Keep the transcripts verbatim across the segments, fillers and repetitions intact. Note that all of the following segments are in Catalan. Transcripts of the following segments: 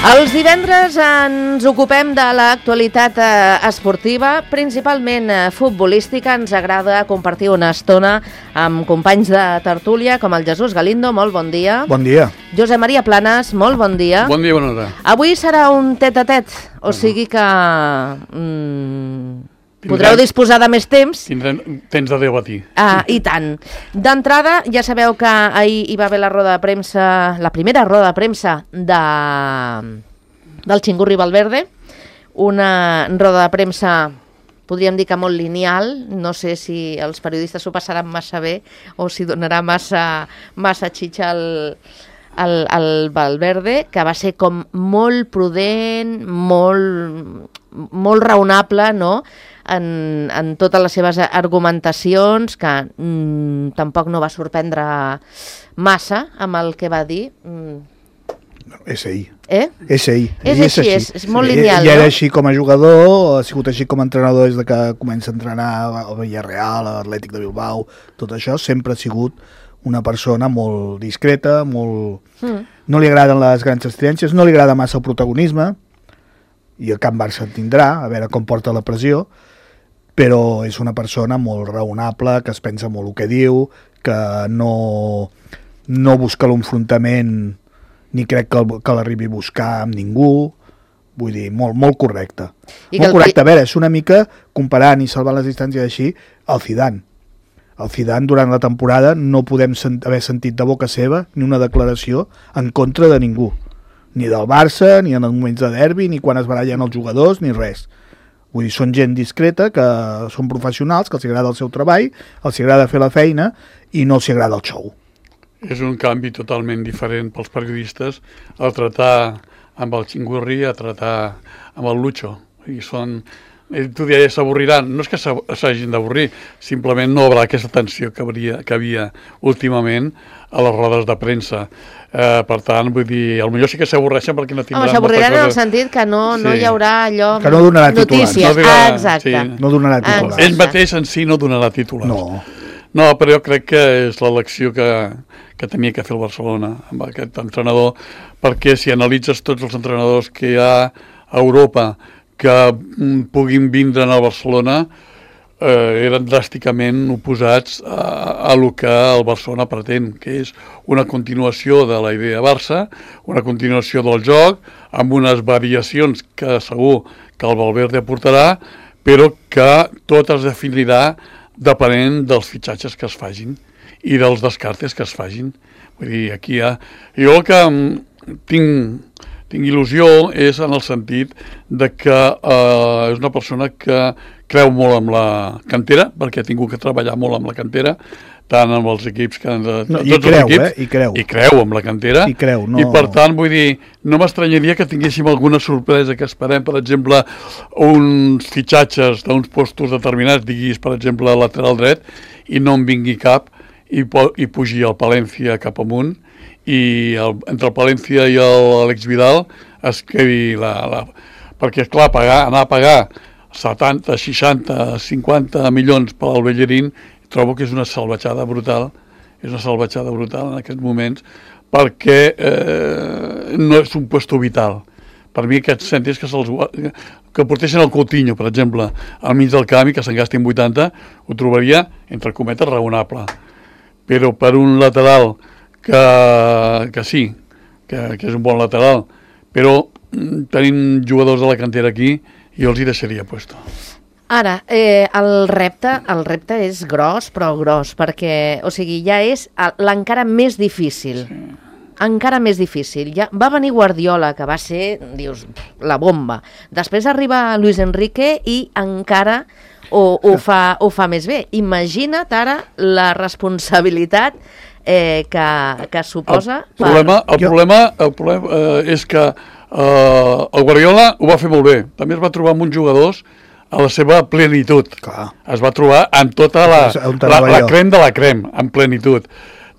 Els divendres ens ocupem de l'actualitat esportiva, principalment futbolística. Ens agrada compartir una estona amb companys de tertúlia com el Jesús Galindo, molt bon dia. Bon dia. Josep Maria Planes, molt bon dia. Bon dia, bona hora. Avui serà un tet-a-tet, o sigui que mm, podreu disposar de més temps. Tindrem temps de debatir. Ah, I tant. D'entrada, ja sabeu que ahir hi va haver la roda de premsa, la primera roda de premsa de, del Xingurri Valverde, una roda de premsa, podríem dir que molt lineal, no sé si els periodistes s'ho passaran massa bé o si donarà massa, massa xitxa al, al, al Valverde, que va ser com molt prudent, molt, molt raonable, no?, En, en totes les seves argumentacions, que mm, tampoc no va sorprendre massa amb el que va dir. Mm. No, és ell. Eh? És ell. És, ell així, és, així. és, és molt lineal, ell, ell era no? així com a jugador, ha sigut així com a entrenador des de que comença a entrenar al Villarreal, a l'Atlètic de Bilbao, tot això, sempre ha sigut una persona molt discreta, molt... Mm. No li agraden les grans estridències, no li agrada massa el protagonisme, i el Camp Barça en tindrà, a veure com porta la pressió, però és una persona molt raonable, que es pensa molt el que diu, que no, no busca l'enfrontament ni crec que, el, que l'arribi a buscar amb ningú, vull dir, molt, molt correcte. I molt correcte, a veure, és una mica, comparant i salvant les distàncies així, el Zidane. El Zidane, durant la temporada, no podem sent, haver sentit de boca seva ni una declaració en contra de ningú. Ni del Barça, ni en els moments de derbi, ni quan es barallen els jugadors, ni res. Vull dir, són gent discreta, que són professionals, que els agrada el seu treball, els agrada fer la feina i no els agrada el show. És un canvi totalment diferent pels periodistes a tratar amb el Xingurri, a tratar amb el Lucho. I són... Tu deies, s'avorriran. No és que s'hagin d'avorrir, simplement no hi haurà aquesta tensió que, hauria, que havia últimament a les rodes de premsa. Eh, per tant, vull dir, potser sí que s'avorreixen perquè no tindran... Home, s'avorriran en el sentit que no, no sí. hi haurà allò... Que no donarà titulars. Notícies, no dirà, ah, exacte. Sí. No donarà titulars. Ell mateix en si no donarà titulars. No. No, però jo crec que és l'elecció que, que tenia que fer el Barcelona amb aquest entrenador, perquè si analitzes tots els entrenadors que hi ha a Europa que puguin vindre al Barcelona, eh, eren dràsticament oposats a, a lo que el Barcelona pretén, que és una continuació de la idea Barça, una continuació del joc, amb unes variacions que segur que el Valverde aportarà, però que tot es definirà depenent dels fitxatges que es fagin i dels descartes que es fagin. Vull dir, aquí hi ha... Jo el que tinc... Tinc il·lusió és en el sentit de que eh, és una persona que creu molt en la cantera, perquè ha tingut que treballar molt amb la cantera, tant amb els equips que... No, i creu, equips, eh? I creu. I creu amb la cantera. I creu, no... I per tant, vull dir, no m'estranyaria que tinguéssim alguna sorpresa, que esperem, per exemple, uns fitxatges d'uns postos determinats, diguis, per exemple, lateral dret, i no en vingui cap i, i pugi el Palència cap amunt, i el, entre el Palència i l'Àlex Vidal es quedi la, la... perquè és clar, pagar, anar a pagar setanta, seixanta, cinquanta milions per al Bellerín, trobo que és una salvatjada brutal, és una salvatjada brutal en aquests moments, perquè eh, no és un puesto vital. Per mi aquests cèntims que se'ls que portessin el Coutinho, per exemple, al mig del camp i que se'n gastin vuitanta, ho trobaria, entre cometes, raonable. Però per un lateral que, que sí, que, que és un bon lateral, però tenim jugadors de la cantera aquí i jo els hi deixaria puesto. Ara, eh, el repte el repte és gros, però gros, perquè, o sigui, ja és l'encara més difícil. Sí. Encara més difícil. Ja va venir Guardiola, que va ser, dius, la bomba. Després arriba Luis Enrique i encara ho, ho, fa, ho fa més bé. Imagina't ara la responsabilitat Eh, que, que suposa... El problema, el jo... problema, el problema eh, és que eh, el Guardiola ho va fer molt bé. També es va trobar amb uns jugadors a la seva plenitud. Clar. Es va trobar amb tota la, la, la crem de la crem, en plenitud.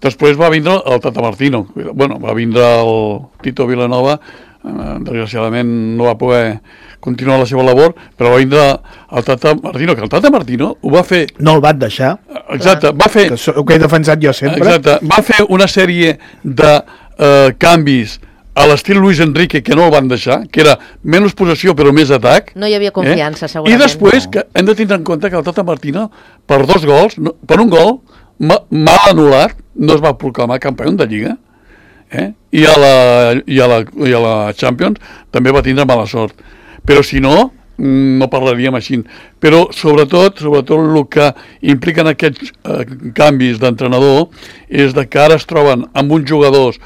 Després va vindre el Tata Martino. Bueno, va vindre el Tito Vilanova, eh, desgraciadament no va poder continuar la seva labor, però va vindre el Tata Martino, que el Tata Martino ho va fer... No el van deixar. Exacte, va fer... Que, so, que he defensat jo sempre. Exacte, va fer una sèrie de eh, canvis a l'estil Luis Enrique, que no el van deixar, que era menys possessió però més atac. No hi havia confiança, eh? segurament. I després, no. que hem de tindre en compte que el Tata Martino, per dos gols, no, per un gol, mal anul·lat, no es va proclamar campió de Lliga. Eh? I, a la, i, a la, I a la Champions també va tindre mala sort. Però si no, no parlaríem així. Però sobretot, sobretot el que impliquen aquests eh, canvis d'entrenador és de que ara es troben amb uns jugadors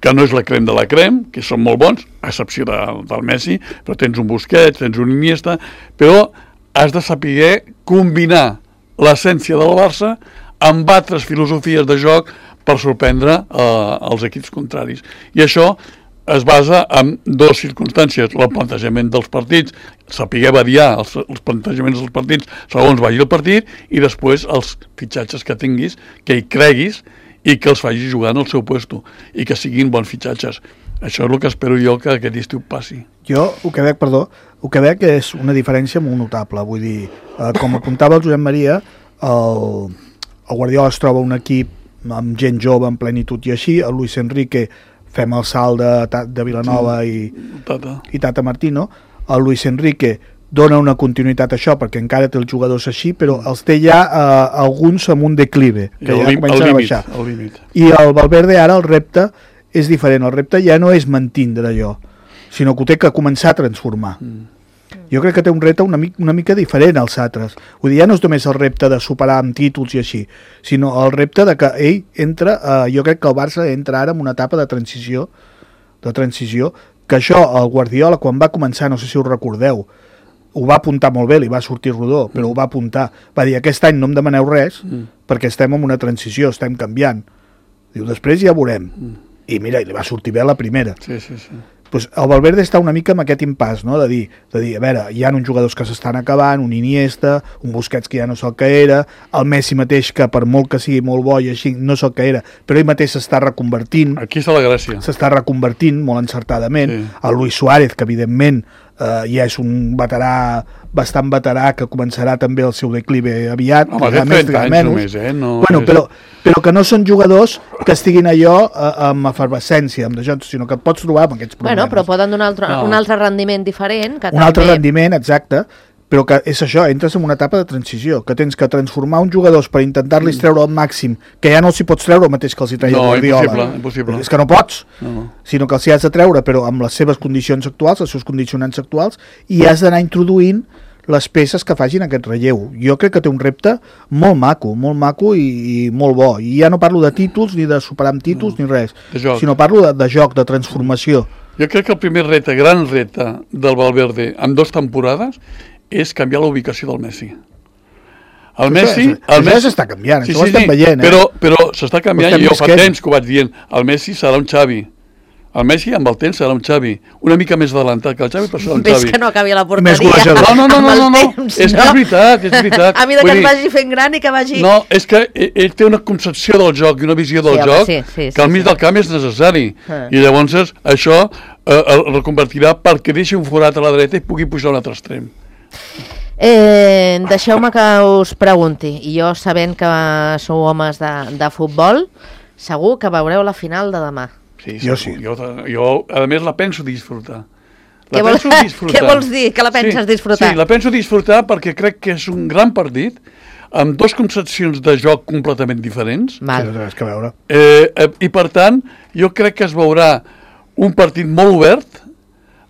que no és la crem de la crem, que són molt bons, a excepció de, del Messi, però tens un Busquets, tens un Iniesta, però has de saber combinar l'essència del Barça amb altres filosofies de joc per sorprendre eh, els equips contraris. I això es basa en dues circumstàncies, el plantejament dels partits, saber variar els, els plantejaments dels partits segons vagi el partit, i després els fitxatges que tinguis, que hi creguis i que els facis jugar en el seu puesto i que siguin bons fitxatges. Això és el que espero jo que aquest estiu passi. Jo el que veig, perdó, el que veig és una diferència molt notable, vull dir, eh, com apuntava el Josep Maria, el, el Guardiola es troba un equip amb gent jove en plenitud i així, el Luis Enrique fem el salt de, de Vilanova sí, i, Tata. i Tata Martino, el Luis Enrique dona una continuïtat a això perquè encara té els jugadors així, però els té ja eh, alguns amb un declive, que ja comencen a baixar. I el Valverde ara el repte és diferent, el repte ja no és mantindre allò, sinó que ho té que començar a transformar. Mm. Jo crec que té un repte una, mica, una mica diferent als altres. Vull dir, ja no és només el repte de superar amb títols i així, sinó el repte de que ell entra, eh, jo crec que el Barça entra ara en una etapa de transició, de transició, que això el Guardiola quan va començar, no sé si us recordeu, ho va apuntar molt bé, li va sortir rodó, però ho va apuntar. Va dir, aquest any no em demaneu res, mm. perquè estem en una transició, estem canviant. Diu, després ja veurem. Mm. I mira, i li va sortir bé la primera. Sí, sí, sí. Pues el Valverde està una mica amb aquest impàs, no? de, dir, de dir, a veure, hi ha uns jugadors que s'estan acabant, un Iniesta, un Busquets que ja no és el que era, el Messi mateix, que per molt que sigui molt bo i així, no és el que era, però ell mateix s'està reconvertint. Aquí està la gràcia. S'està reconvertint molt encertadament. Sí. El Luis Suárez, que evidentment eh, ja és un veterà, bastant veterà, que començarà també el seu declive aviat. Home, té trenta anys només, eh? No, bueno, és... però, però que no són jugadors que estiguin allò eh, amb efervescència, amb això, sinó que et pots trobar amb aquests problemes. Bueno, però poden donar altre, no. un altre rendiment diferent. Que un també... altre rendiment, exacte, però que és això, entres en una etapa de transició, que tens que transformar uns jugadors per intentar-los treure al màxim, que ja no els hi pots treure el mateix que els hi treia no, el Guardiola. Impossible, impossible. És que no pots, no, no. sinó que els hi has de treure, però amb les seves condicions actuals, els seus condicionants actuals, i has d'anar introduint les peces que facin aquest relleu. Jo crec que té un repte molt maco, molt maco i, i molt bo. I ja no parlo de títols, ni de superar amb títols, no, ni res, sinó parlo de, de joc, de transformació. Jo crec que el primer repte, gran repte del Valverde en dues temporades és canviar la ubicació del Messi. El això, Messi... Això, el Messi s'està canviant, sí, això sí, ho estem sí, veient. Eh? Però, però s'està canviant, i jo fa visquent. temps que ho vaig dient, el Messi serà un Xavi. El Messi amb el temps serà un Xavi, una mica més adelantat que el Xavi, però serà un Xavi. Ves que no acabi a la Més porteria. No, no, no, no, no, no. Temps, és que és veritat, és veritat. A mi de Vull que dir, es vagi fent gran i que vagi... No, és que ell té una concepció del joc i una visió del Sí, home, joc sí, sí, sí, que al mig sí. del camp és necessari. Ah. I llavors això eh, el reconvertirà perquè deixi un forat a la dreta i pugui pujar a un altre extrem. Eh, Deixeu-me que us pregunti, i jo sabent que sou homes de, de futbol, segur que veureu la final de demà. Sí, jo sí. Jo, jo, a més, la penso disfrutar. La Què, vol... penso disfrutar. Què vols dir? Que la penses sí, disfrutar? Sí, la penso disfrutar perquè crec que és un gran partit, amb dues concepcions de joc completament diferents. Val. Sí, no té que veure. Eh, eh, I, per tant, jo crec que es veurà un partit molt obert,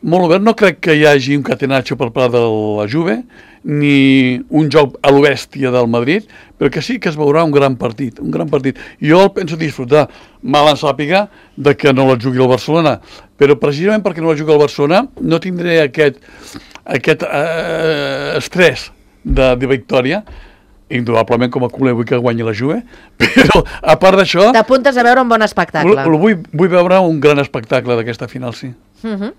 molt obert. No crec que hi hagi un catenaccio per part de la Juve, ni un joc a l'obèstia del Madrid, però que sí que es veurà un gran partit, un gran partit. Jo el penso disfrutar, mal en sàpiga de que no la jugui el Barcelona, però precisament perquè no la jugui el Barcelona no tindré aquest, aquest eh, estrès de, de victòria. Indubtablement com a culer vull que guanyi la Juve, però a part d'això... T'apuntes a veure un bon espectacle. Vull, vull veure un gran espectacle d'aquesta final, sí. Uh -huh.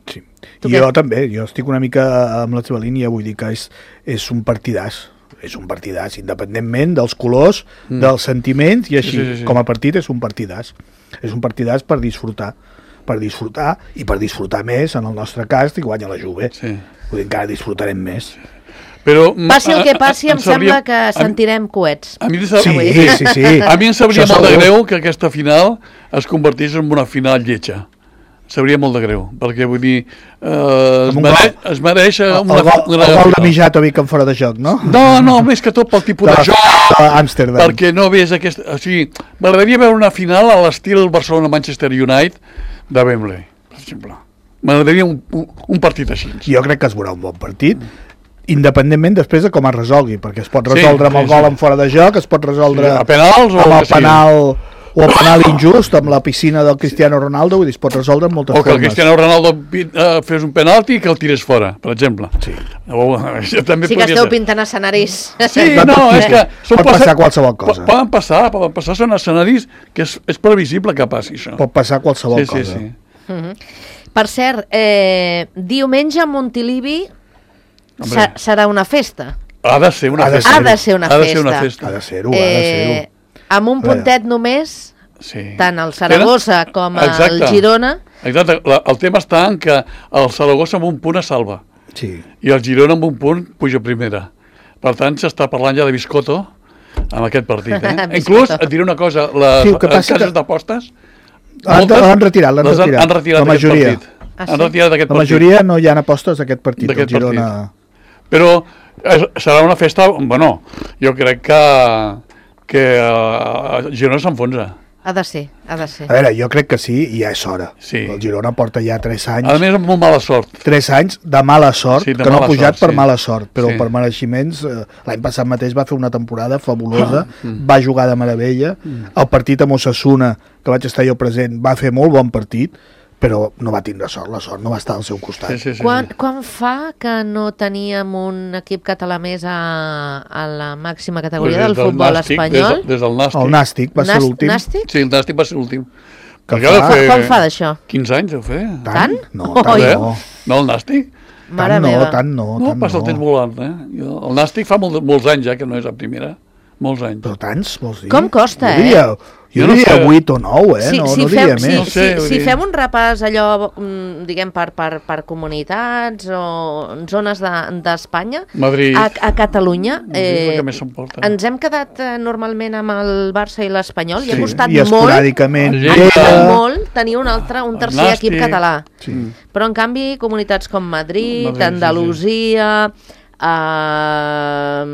Sí. Jo què? També, jo estic una mica amb la teva línia, vull dir que és, és un partidàs, és un partidàs, independentment dels colors, mm. dels sentiments, i així, sí, sí, sí. com a partit és un partidàs. És un partidàs per disfrutar, per disfrutar, i per disfrutar més, en el nostre cas, i guanya la Juve. Sí. Vull dir, encara disfrutarem més. Però, passi el que passi, em, em sabria, sembla que sentirem coets. A mi, em sí, sí, sí. A mi em sabria molt de greu que aquesta final es convertís en una final lletja. Sabria molt de greu, perquè vull dir, eh, es, mereix, es mereix una... El, el, el, el gol de Mijatovic en fora de joc, no? No, no, més que tot pel tipus de, de joc, de Amsterdam. Perquè no ves aquesta... O sigui, m'agradaria veure una final a l'estil Barcelona-Manchester United de Wembley, per exemple. M'agradaria un, un, un partit així. Jo crec que es veurà un bon partit, independentment després de com es resolgui, perquè es pot resoldre sí, amb el sí, gol sí. en fora de joc, es pot resoldre sí, a penals o amb el sí. penal o el penal injust, amb la piscina del Cristiano Ronaldo, vull dir, es pot resoldre amb moltes formes. O que el formes. Cristiano Ronaldo uh, fes un penalti i que el tirés fora, per exemple. Sí. O, també sí que esteu ser. pintant escenaris. Sí, no, és que... Pot passar qualsevol cosa. Poden passar, poden passar, són escenaris que és, és previsible que passi això. Pot passar qualsevol sí, cosa. Sí, sí. Uh -huh. Per cert, eh, diumenge a Montilivi Ser, serà una festa. Ha de ser una ha festa. Ha de ser una ha de festa. ser una festa. Ha de ser-ho, ha de ser-ho. Eh, amb un puntet només, sí. tant el Saragossa Tenen? com Exacte. el Girona. Exacte, la, el tema està en que el Saragossa amb un punt es salva. Sí. I el Girona amb un punt puja a primera. Per tant, s'està parlant ja de biscotto amb aquest partit. Eh? Inclús, et diré una cosa, les sí, cases que... d'apostes... L'han retirat, l'han retirat. Han retirat la majoria. Ah, sí? Han retirat aquest la partit. majoria no hi ha apostes d'aquest partit, el Girona... Partit. Però eh, serà una festa... Bueno, jo crec que, que uh, Girona s'enfonsa. Ha de ser, ha de ser. A veure, jo crec que sí, i ja és hora. Sí. El Girona porta ja tres anys... A més, amb molt mala sort. Tres anys de mala sort, sí, de que no ha pujat sort, per sí. mala sort, però sí. per mereixements... Eh, L'any passat mateix va fer una temporada fabulosa, ah, mm. va jugar de meravella, mm. el partit amb Osasuna, que vaig estar jo present, va fer molt bon partit, però no va tindre sort, la sort no va estar al seu costat. Sí, sí, sí, quan, sí. quan fa que no teníem un equip català més a, a la màxima categoria pues del, del futbol nàstic, espanyol? Des, des del Nàstic. El Nàstic va Nàstic, ser l'últim. Nàstic? Sí, el Nàstic va ser l'últim. Quan fa d'això? quinze anys deu fer. Tant? No, tant oh, no. No, el Nàstic? Mare tant meva. no, tant no. No, tant passa el no. temps volant, eh? El Nàstic fa molt, molts anys ja que no és a primera. Molts anys. Però tants, vols dir? Com costa, jo diria, eh? Jo no diria vuit o nou, eh? Si, no, si no fem, diria si, més. No sé, si, si dir... fem un repàs allò, diguem, per, per, per comunitats o zones d'Espanya, de, Madrid, a, a Catalunya, eh, eh, ens hem quedat eh, normalment amb el Barça i l'Espanyol, sí, i ha costat i molt, ha costat molt tenir un altre, un tercer Nàstic, equip català. Sí. Però, en canvi, comunitats com Madrid, Madrid Andalusia, sí, sí. Uh,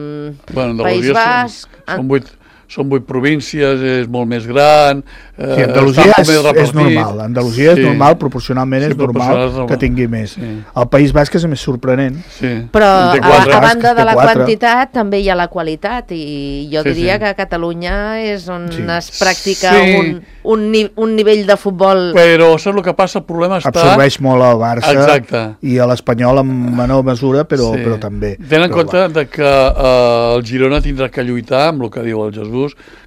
bueno, País Basc... Són, són vuit... Són vuit províncies, és molt més gran... Eh, sí, Andalusia és, és normal, Andalusia sí. és normal, proporcionalment sí, és normal, normal que tingui més. Sí. El País Basc és més sorprenent. Sí. Però a, a banda de la quatre. quantitat també hi ha la qualitat, i jo sí, diria sí. que a Catalunya és on sí. es practica sí. un, un, ni, un nivell de futbol... Però saps el que passa? El problema està... Absorbeix molt el Barça. Exacte. I a l'Espanyol en menor mesura, però, sí. però també. Tenen en però compte de que eh, el Girona tindrà que lluitar, amb el que diu el Jesús,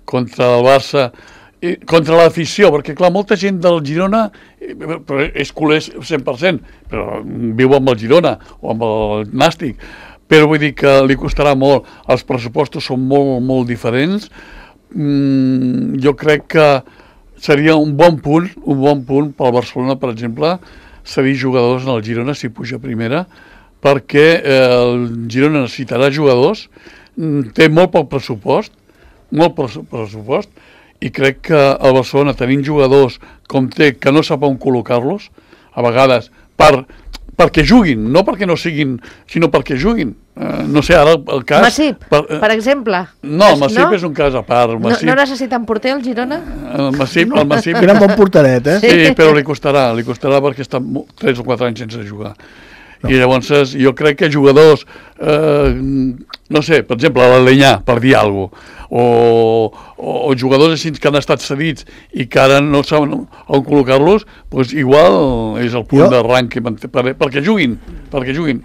contra el Barça, i contra l'afició, perquè clar, molta gent del Girona però és culer cent per cent, però viu amb el Girona o amb el Nàstic, però vull dir que li costarà molt, els pressupostos són molt, molt diferents. Mm, jo crec que seria un bon punt, un bon punt pel Barcelona, per exemple, cedir jugadors en el Girona si puja a primera, perquè eh, el Girona necessitarà jugadors, té molt poc pressupost, molt pressupost, i crec que el Barcelona, tenint jugadors com té, que no sap on col·locar-los, a vegades, per, perquè juguin, no perquè no siguin, sinó perquè juguin. Uh, no sé, ara el cas... Masip, per, uh, per exemple. No, el Masip no? és un cas a part. Masip, no, no necessiten porter el Girona? El Masip, el Masip... Era un bon porteret, eh? Sí, sí, però li costarà, li costarà perquè està tres o quatre anys sense jugar. No. I llavors jo crec que jugadors, eh, no sé, per exemple, l'Alenyà, per dir alguna cosa, o, o, o jugadors així que han estat cedits i que ara no saben on col·locar-los, doncs igual és el punt jo... d'arranc per, perquè juguin, perquè juguin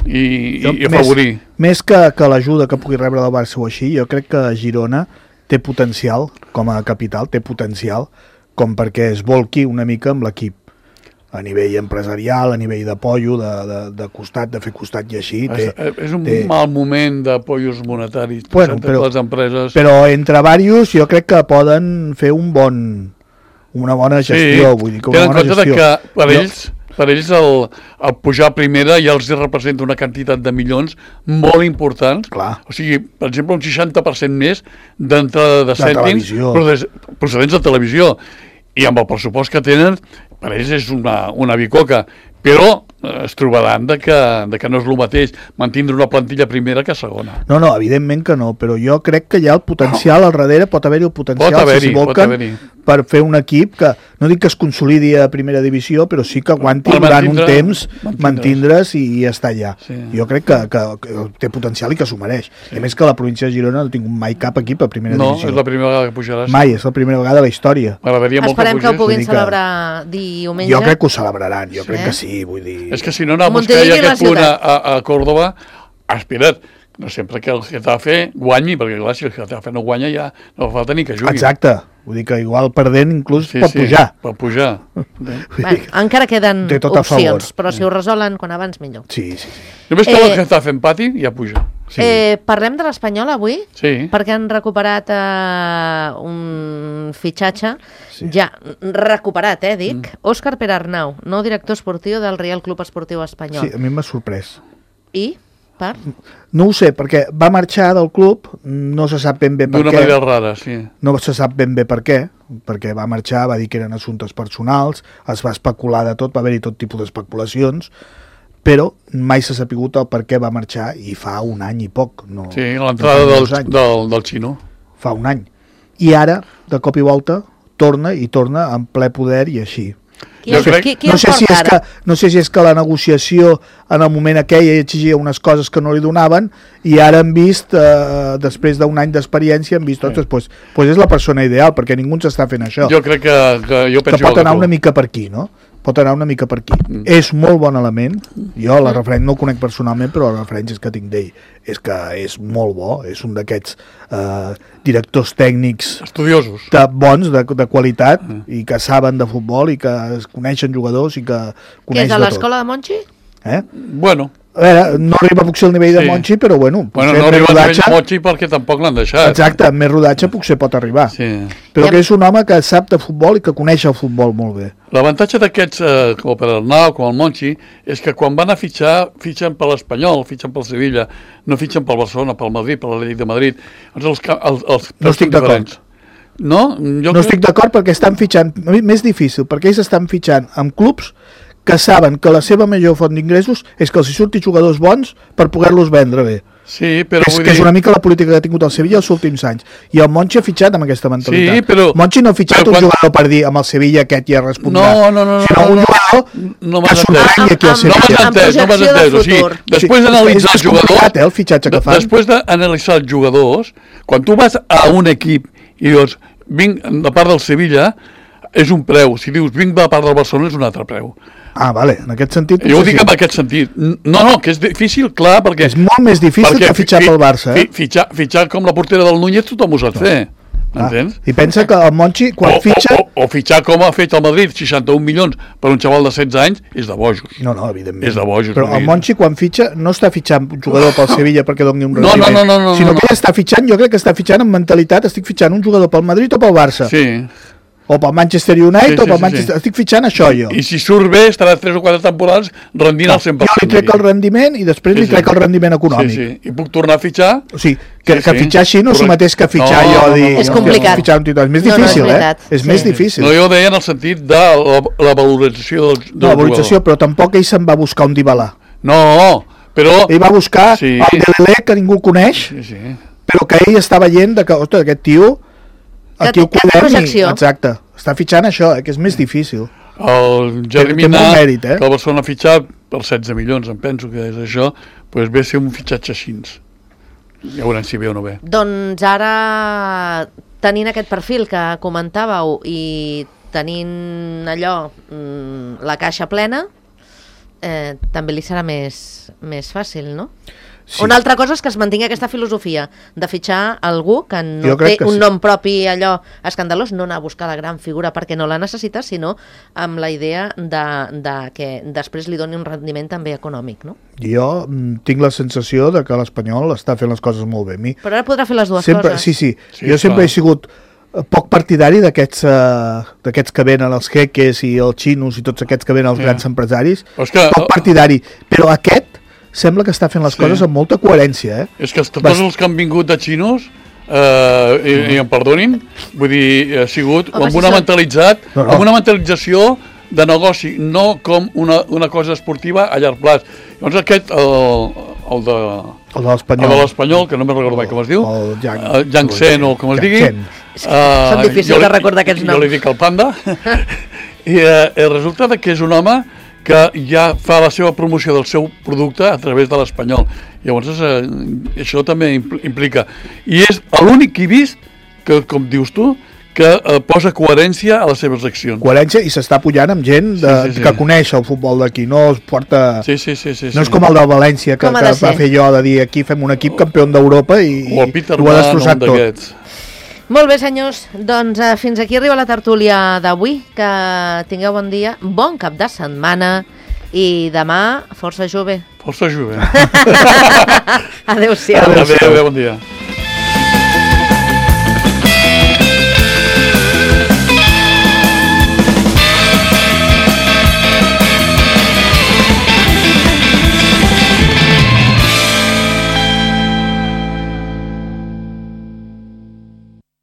i, jo, i afavorir. Més, més que, que l'ajuda que pugui rebre del Barça o així, jo crec que Girona té potencial, com a capital, té potencial, com perquè es volqui una mica amb l'equip. A nivell empresarial, a nivell d'apoyo, de, de, de costat, de fer costat i així. Té, és, és un té... mal moment d'apoyos monetaris bueno, per les empreses. Però entre diversos jo crec que poden fer un bon, una bona gestió. Sí, vull dir, que tenen una bona en compte gestió. que per ells... per ells el, el pujar a primera ja els representa una quantitat de milions molt importants. Clar. O sigui, per exemple, un seixanta per cent més d'entrada de, de cèntims procedents de televisió. I amb el pressupost que tenen, per ells és una, una bicoca. Però es trobaran de que, de que no és el mateix mantindre una plantilla primera que segona. No, no, evidentment que no, però jo crec que hi ha el potencial al darrere, pot haver-hi el potencial, pot haver-hi, si s'invoquen, per fer un equip que, no dic que es consolidi a primera divisió, però sí que aguanti per durant un temps, mantindre's i, i estar allà. Sí. Jo crec que, que, que té potencial i que s'ho mereix. Sí. A més que la província de Girona no ha tingut mai cap equip a primera no, divisió. No, és la primera vegada que pujaràs. Mai, és la primera vegada a la història. Esperem que, que ho puguin celebrar diumenge. Jo crec que ho celebraran, jo sí. crec que sí, vull dir... És que si no anar a buscar ja aquest punt a, a, a Córdoba, espera't, no sempre que el Getafe guanyi, perquè clar, si el Getafe no guanya ja no fa falta ni que jugui. Exacte, vull dir que igual perdent inclús sí, pot sí, pujar. pot pujar. Bueno, encara queden opcions, però si ho resolen quan abans millor. Sí, sí. Només que eh, el Getafe empati ja puja. Sí. Eh, parlem de l'Espanyol avui? Sí. Perquè han recuperat eh, un fitxatge, sí. ja recuperat, eh, dic, mm. Òscar Perarnau, nou director esportiu del Real Club Esportiu Espanyol. Sí, a mi m'ha sorprès. I? Per? No ho sé, perquè va marxar del club, no se sap ben bé per què. D'una manera rara, sí. No se sap ben bé per què, perquè va marxar, va dir que eren assumptes personals, es va especular de tot, va haver-hi tot tipus d'especulacions, però mai s'ha sapigut el per què va marxar i fa un any i poc. No, sí, l'entrada no del, del, del xino. Fa un any. I ara, de cop i volta, torna i torna en ple poder i així. Qui, jo crec... qui, qui no, sé si és que, no sé si és que la negociació en el moment aquell exigia unes coses que no li donaven i ara han vist, eh, després d'un any d'experiència, han vist tots, sí. pues, pues és la persona ideal, perquè ningú s'està fent això. Jo crec que, que jo penso que pot anar una mica per aquí, no? Pot anar una mica per aquí. Mm. És molt bon element. Jo la referent no el conec personalment, però les referències que tinc d'ell és que és molt bo. És un d'aquests eh, directors tècnics estudiosos, de, bons, de, de qualitat, mm. i que saben de futbol i que es coneixen jugadors i que coneix de tot. Què és a l'escola de Monchi? Eh? Bueno. A veure, no arriba potser al nivell de sí. Monchi, però bueno... Bueno, no arriba al nivell de Monchi perquè tampoc l'han deixat. Exacte, amb més rodatge potser pot arribar. Sí. Però que és un home que sap de futbol i que coneix el futbol molt bé. L'avantatge d'aquests, eh, com per Arnau, com el Monchi, és que quan van a fitxar, fitxen per l'Espanyol, fitxen pel Sevilla, no fitxen pel Barcelona, pel Madrid, per l'Atlètic de Madrid. Els, els, els, els no estic d'acord. No? Jo no estic d'acord perquè estan fitxant... Més difícil, perquè ells estan fitxant amb clubs que saben que la seva major font d'ingressos és que els hi surti jugadors bons per poder-los vendre bé. Sí, però és, vull que dir... és una mica la política que ha tingut el Sevilla els últims anys. I el Monchi ha fitxat amb aquesta mentalitat. Sí, però... Monchi no ha fitxat un quan... jugador per dir amb el Sevilla aquest ja respondrà. No, no, no. Sinó no, un jugador no, no que sorprengui aquí al Sevilla. No m'has entès, no m'has entès. O sigui, després d'analitzar els jugadors... Eh, el fitxatge que fan. Després d'analitzar els jugadors, quan tu vas a un equip i dius, vinc de part del Sevilla, és un preu. Si dius, vinc de part del Barcelona, és un altre preu. Ah, vale, en aquest sentit... Jo ho dic en aquest sentit. No, no, que és difícil, clar, perquè... És molt més difícil que fitxar pel Barça, eh? Fitxar, fitxar com la portera del Núñez tothom ho sap fer, m'entens? I pensa que el Monchi, quan fitxa... O, o, o fitxar com ha fet el Madrid, seixanta-un milions per un xaval de setze anys, és de bojos. No, no, evidentment. És de bojos. Però el Monchi, quan fitxa, no està fitxant un jugador pel Sevilla perquè doni un rendiment. No, no, no, no, sinó no, que ell està fitxant, jo crec que està fitxant amb mentalitat, estic fitxant un jugador pel Madrid o pel Barça. Sí. O pel Manchester United, sí, sí, o pel Manchester... Sí, sí. Estic fitxant això, jo. I si surt bé, estarà tres o quatre temporades rendint al cent per cent. Jo li trec el rendiment i després sí, li trec sí. el rendiment econòmic. Sí, sí. I puc tornar a fitxar? O sigui, que, sí, que fitxar així no és el mateix que fitxar no, jo. No, no, dir, no, és complicat. Fitxar un títol. És més no, difícil, no, és eh? És sí. més difícil. No, jo ho deia en el sentit de la, la valorització del, del no, la valorització, però tampoc ell se'n va buscar un Dybala. No, però... Ell va buscar sí. el Dembélé, que ningú coneix, sí, sí. però que ell està veient de que, ostres, aquest tio... Aquí ho cuidem i... Exacte. Està fitxant això, eh, que és més difícil. El Germina, mèrit, eh? que el Barcelona ha fitxat per setze milions, em penso que és això, doncs ve a ser un fitxatge així. Ja veurem si ve o no ve. Doncs ara, tenint aquest perfil que comentàveu i tenint allò, la caixa plena, eh, també li serà més, més fàcil, no? Sí. Una altra cosa és que es mantingui aquesta filosofia de fitxar algú que no té un sí. nom propi allò escandalós, no anar a buscar la gran figura perquè no la necessita, sinó amb la idea de, de que després li doni un rendiment també econòmic, no? Jo mm, tinc la sensació de que l'Espanyol està fent les coses molt bé. Mi... Però ara podrà fer les dues sempre, coses. Sí, sí, sí jo sempre clar. he sigut poc partidari d'aquests uh, d'aquests que venen els jeques i els xinos i tots aquests que venen els yeah. grans empresaris, que, poc partidari, però aquest sembla que està fent les sí. coses amb molta coherència. Eh? És que tots Bast... els que han vingut de xinos, eh, i, i em perdonin, vull dir, ha sigut Home, amb, una si mentalitzat, no, no. amb una mentalització de negoci, no com una, una cosa esportiva a llarg plaç. Llavors aquest, el, el de... El de l'Espanyol. El de l'Espanyol, que no me'n recordo mai com es diu. El Yang, el Yang Sen, o com es digui. Uh, Són difícils de recordar aquests noms. Jo li dic el Panda. I uh, resulta que és un home que ja fa la seva promoció del seu producte a través de l'Espanyol. Llavors, uh, això també implica. I és l'únic que he vist que, com dius tu, que eh, posa coherència a les seves accions. Coherència, i s'està pujant amb gent de, sí, sí, sí. que coneix el futbol d'aquí, no es porta... Sí, sí, sí, sí, no és com el del València, que, que va fer jo de dir aquí fem un equip campió d'Europa i, o el Peter i ho ha destrossat tot. Molt bé, senyors, doncs eh, fins aquí arriba la tertúlia d'avui, que tingueu bon dia, bon cap de setmana i demà força jove. Força jove. Adéu-siau. Adéu, adéu, bon dia.